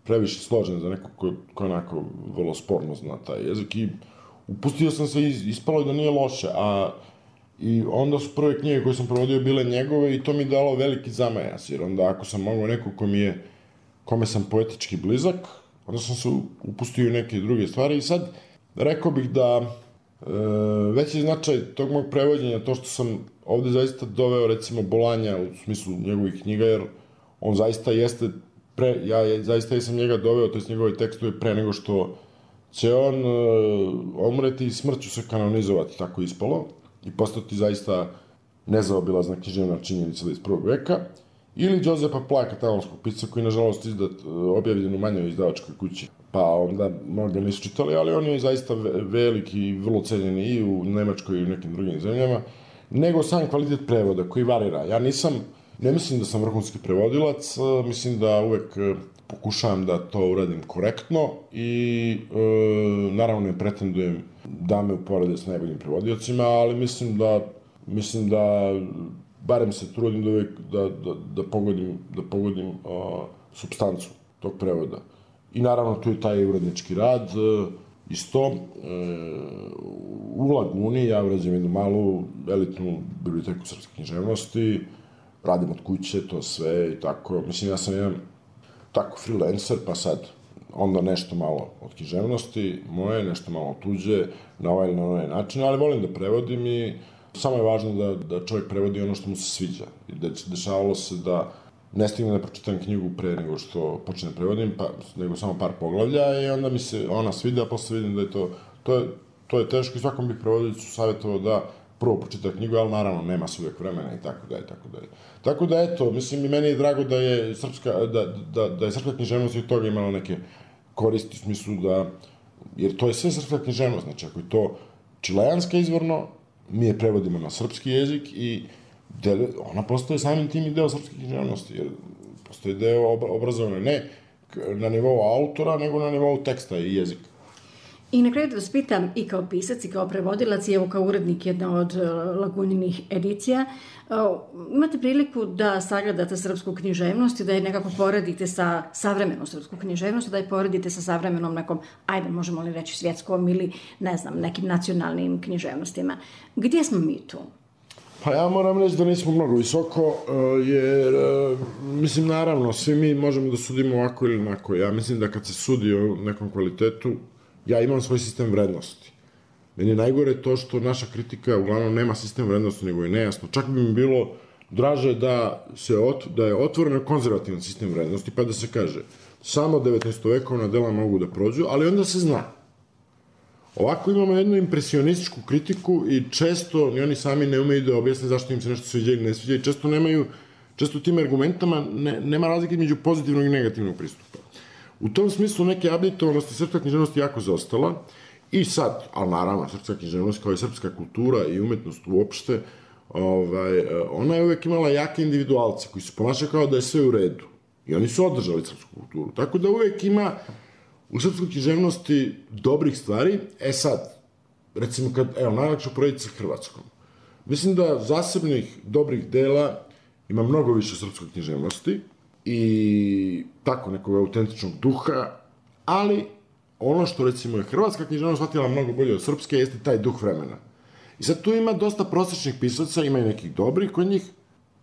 Speaker 4: previše složen za neko ko onako vrlo sporno zna taj jezik, i upustio sam se, ispalo je da nije loše, i onda su prve knjige koje sam provodio bile njegove i to mi dalo veliki zamajas, jer onda ako sam mogao neko kome sam poetički blizak, onda sam se upustio u neke druge stvari i sad rekao bih da veći značaj tog mog prevođenja, to što sam ovde zaista doveo recimo Bolanja u smislu njegovih knjiga, jer on zaista jeste, ja zaista jesam njega doveo, to je njegove tekstove pre nego što će on umreti i smrću se kanonizovati, tako ispalo, i postati zaista nezaobilazna književna činjenica iz 21. veka, ili Josepa Pla, katalonskog pisca, koji nažalost objavljen u manjoj izdavačkoj kući, pa onda mnogi nisu čitali, ali on je zaista veliki i vrlo cenjen i u Nemačkoj i u nekim drugim zemljama, nego sam kvalitet prevoda koji varira. Ja ne mislim da sam vrhunski prevodilac, mislim da uvek pokušavam da to uradim korektno i naravno ne pretendujem da me uporede s najboljim prevodiocima, ali mislim da barem se trudim da uvek da pogodim supstancu tog prevoda. I naravno tu je taj urednički rad, isto. U Laguni ja urađujem jednu malu elitnu biblioteku srpske književnosti, radim od kuće, to sve i tako. Mislim, ja sam jedan tako freelancer, pa sad onda nešto malo od književnosti moje, nešto malo tuđe, na ovaj ili na onaj način, ali volim da prevodim i samo je važno da čovjek prevodi ono što mu se sviđa. Dešavalo se da ne stigne da pročitam knjigu pre nego što počnem prevodim, nego samo par poglavlja, i onda mi se ona svida, a posle vidim da je to je teško, i svakom bih prevodilicu savjetovao da prvo pročita knjigu, ali naravno nema se uvek vremena i tako dalje, tako dalje. Tako da eto, mislim, i meni je drago da je srpska književnost i od toga imala neke koristi u smislu jer to je sve srpska književnost, znači ako je to čileanska izvorno, mi je prevodimo na srpski jezik i ona postoje samim tim i deo srpske književnosti, jer postoje deo obrazovane ne na nivou autora, nego na nivou teksta i jezika.
Speaker 3: I na kraju da vas pitam, i kao pisac i kao prevodilac, i evo kao urednik jedne od Laguninih edicija, imate priliku da sagledate srpsku književnost i da je nekako poredite sa savremenom srpsku književnost, da je poredite sa savremenom nekom, ajde, možemo li reći svjetskom ili, ne znam, nekim nacionalnim književnostima. Gdje smo mi tu?
Speaker 4: Pa ja moram reći da nismo mnogo visoko, jer, mislim, naravno, svi mi možemo da sudimo ovako ili onako. Ja mislim da kad se sudi o nekom kvalitetu, ja imam svoj sistem vrednosti. Meni je najgore to što naša kritika uglavnom nema sistem vrednosti, nego je nejasno. Čak bi mi bilo draže da je otvoreno konzervativan sistem vrednosti, pa da se kaže samo 19. vekovna dela mogu da prođu, ali onda se zna. Ovako imamo jednu impresionističku kritiku i često ni oni sami ne umeju da objasne zašto im se nešto sviđa ili ne sviđa, i često tim argumentama nema razlike među pozitivnog i negativnog pristupa. U tom smislu neke abditovanosti srpska književnost jako zaostala i sad, ali naravno, srpska književnost kao i srpska kultura i umetnost uopšte, ona je uvek imala jake individualce koji se ponašaju kao da je sve u redu. I oni su održali srpsku kulturu. Tako da uvek ima u srpskoj književnosti dobrih stvari. Sad, recimo najlakše uporediti sa Hrvatskom. Mislim da zasebnih dobrih dela ima mnogo više srpskoj književnosti i tako nekog autentičnog duha, ali ono što recimo je hrvatska književnost shvatila mnogo bolje od srpske jeste taj duh vremena. I sad tu ima dosta prosječnih pisaca, ima i nekih dobrih kod njih,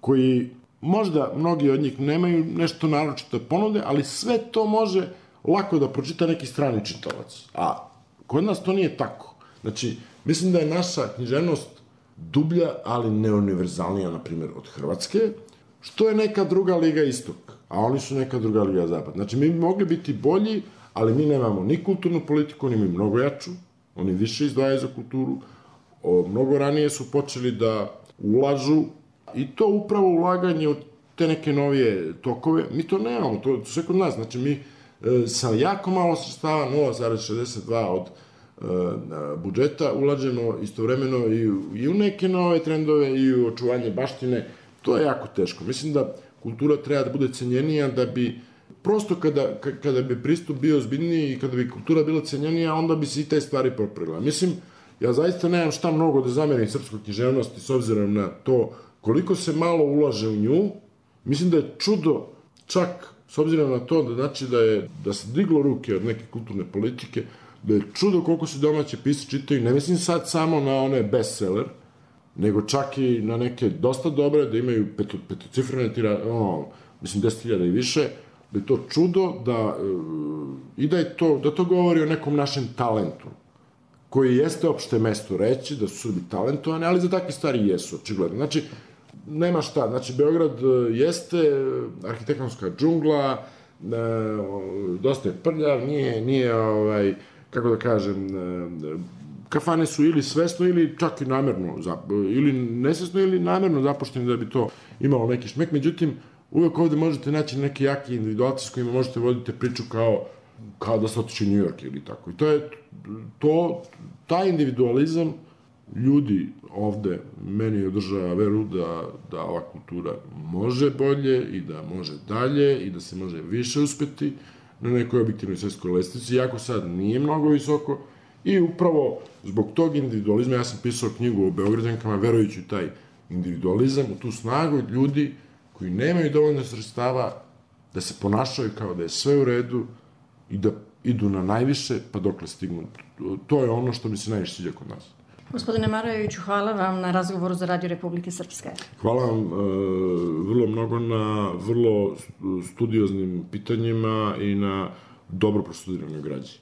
Speaker 4: koji možda mnogi od njih nemaju nešto naročito ponude, ali sve to može lako da pročita neki strani čitalac. A kod nas to nije tako. Znači, mislim da je naša književnost dublja, ali neuniverzalnija, na primjer, od Hrvatske, što je neka druga liga istok, a oni su neka druga liga zapad. Znači, mi bi mogli biti bolji, ali mi nemamo ni kulturnu politiku, oni imaju mnogo jaču, oni više izdvajaju za kulturu, mnogo ranije su počeli da ulažu, i to upravo ulaganje u te neke novije tokove, mi to nemamo, to sve kod nas, znači mi sa jako malo sredstava, 0,62 od budžeta, ulažemo istovremeno i u neke nove trendove i u očuvanje baštine, to je jako teško. Mislim da kultura treba da bude cenjenija, da bi prosto kada bi pristup bio ozbiljniji i kada bi kultura bila cenjenija, onda bi se i te stvari popravila. Mislim, ja zaista nemam šta mnogo da zamerim srpskoj književnosti s obzirom na to koliko se malo ulaže u nju. Mislim da je čudo, čak s obzirom na to da se diglo ruke od neke kulturne politike, da je čudo koliko se domaće pisci čitaju, ne mislim sad samo na one bestseller, nego čak i na neke dosta dobre, da imaju petocifrene tiraže, mislim 10.000 i više, da je to čudo, i da to govori o nekom našem talentu, koji jeste opšte mesto reći, da su Srbi talentovani, ali za takve stvari jesu, očigledno. Znači, nema šta, znači, Beograd jeste arhitektonska džungla, dosta je prljav, nije, kako da kažem, kafane su ili svesno ili čak i namerno, ili nesvesno ili namerno zapušteni da bi to imalo neki šmek. Međutim, uvek ovde možete naći neki jaki individualci s kojima možete voditi priču kao da se otiče u New York ili tako. I taj individualizam ljudi ovde meni održava veru da ova kultura može bolje i da može dalje i da se može više uspeti na nekoj objektivnoj svetskoj lestvici, iako sad nije mnogo visoko, i upravo zbog tog individualizma ja sam pisao knjigu o Beograđankama, verujući u taj individualizam, u tu snagu ljudi koji nemaju dovoljno sredstava da se ponašaju kao da je sve u redu i da idu na najviše, pa dokle stignu. To je ono što mi se najviše sviđa kod nas.
Speaker 3: Gospodine Marajoviću, hvala vam na razgovoru za Radio Republike Srpske.
Speaker 4: Hvala vam vrlo mnogo na vrlo studioznim pitanjima i na dobro prostudiranoj građi.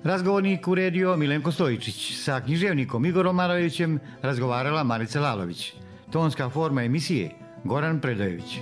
Speaker 2: Razgovornik uredio Milenko Stojičić. Sa književnikom Igorom Marajovićem razgovarala Marica Lalović. Tonska forma emisije Goran Predajević.